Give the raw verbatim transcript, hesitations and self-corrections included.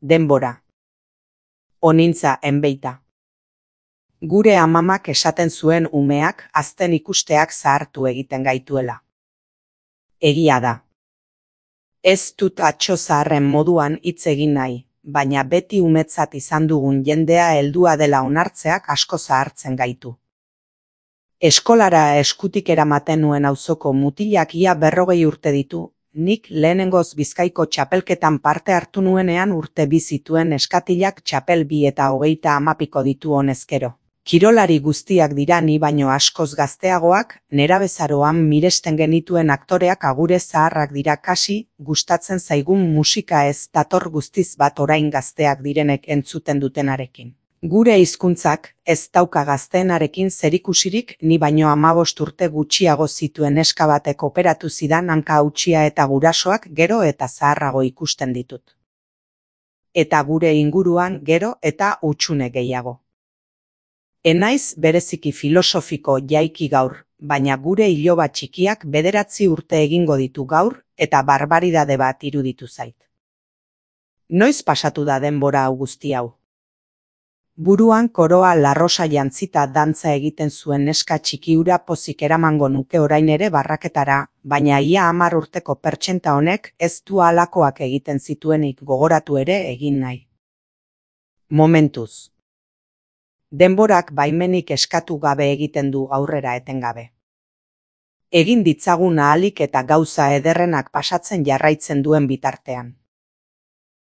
Denbora. Onintza enbeita. Gure amamak esaten zuen umeak azten ikusteak zahartu egiten gaituela. Egia da. Ez dut atso zaharren moduan hitz egin nahi, baina beti umetzat izan dugun jendea heldua dela onartzeak asko zahartzen gaitu. Eskolara eskutik eramaten nuen auzoko mutilak ia berrogei urte ditu, nik lehenengoz Bizkaiko txapelketan parte hartu nuenean urte bi zituen eskatilak txapel bi eta hogeita hamapiko ditu honezkero. Kirolari guztiak dira ni baino askoz gazteagoak, nerabezaroan miresten genituen aktoreak agure zaharrak dira kasi, gustatzen zaigun musika ez dator guztiz bat orain gazteak direnek entzuten dutenarekin. Gure hizkuntzak ez dauka gazteenarekin zerikusirik ni baino hamabost urte gutxiago zituen neska batek operatu zidan hanka hautsia eta gurasoak gero eta zaharrago ikusten ditut. Eta gure inguruan gero eta hutsune gehiago. Enaiz bereziki filosofiko jaiki gaur, baina gure iloba txikiak bederatzi urte egingo ditu gaur eta barbaridade bat iruditu zait. Noiz pasatu da denbora hau guzti hau? Buruan koroa larrosa jantzita dantza egiten zuen neska txikiura pozik eramango nuke orain ere barraketara, baina ia hamar urteko pertsenta honek ez du halakoak egiten zituenik gogoratu ere egin nahi. Momentuz. Denborak baimenik eskatu gabe egiten du aurrera etengabe. Egin ditzagun ahalik eta gauza ederrenak pasatzen jarraitzen duen bitartean.